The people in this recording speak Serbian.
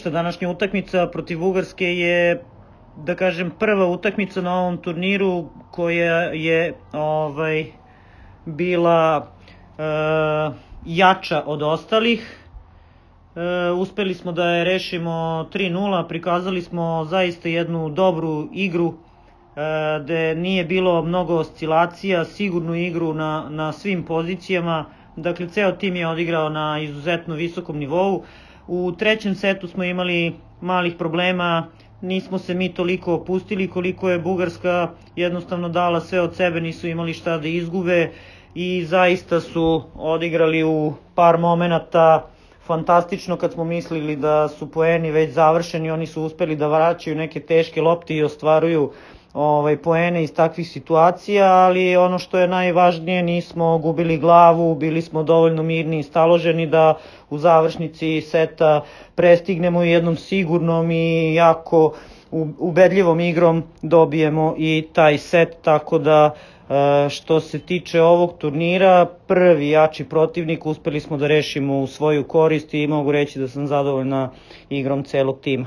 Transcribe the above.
utakmica, današnja utakmica protiv Bugarske je, da kažem, prva utakmica na ovom turniru koja je bila jača od ostalih. Uspeli smo da je rešimo 3-0, prikazali smo zaista jednu dobru igru gde nije bilo mnogo oscilacija, sigurnu igru na svim pozicijama. Dakle, ceo tim je odigrao na izuzetno visokom nivou. U trećem setu smo imali malih problema, nismo se mi toliko opustili koliko je Bugarska jednostavno dala sve od sebe, nisu imali šta da izgube i zaista su odigrali u par momenata fantastično. Kad smo mislili da su poeni već završeni, oni su uspeli da vraćaju neke teške lopte i ostvaruju poene iz takvih situacija, ali ono što je najvažnije, nismo gubili glavu, bili smo dovoljno mirni i staloženi da u završnici seta prestignemo jednom sigurnom i jako ubedljivom igrom dobijemo i taj set, tako da što se tiče ovog turnira, prvi jači protivnik uspeli smo da rešimo u svoju korist i mogu reći da sam zadovoljna igrom celog tima.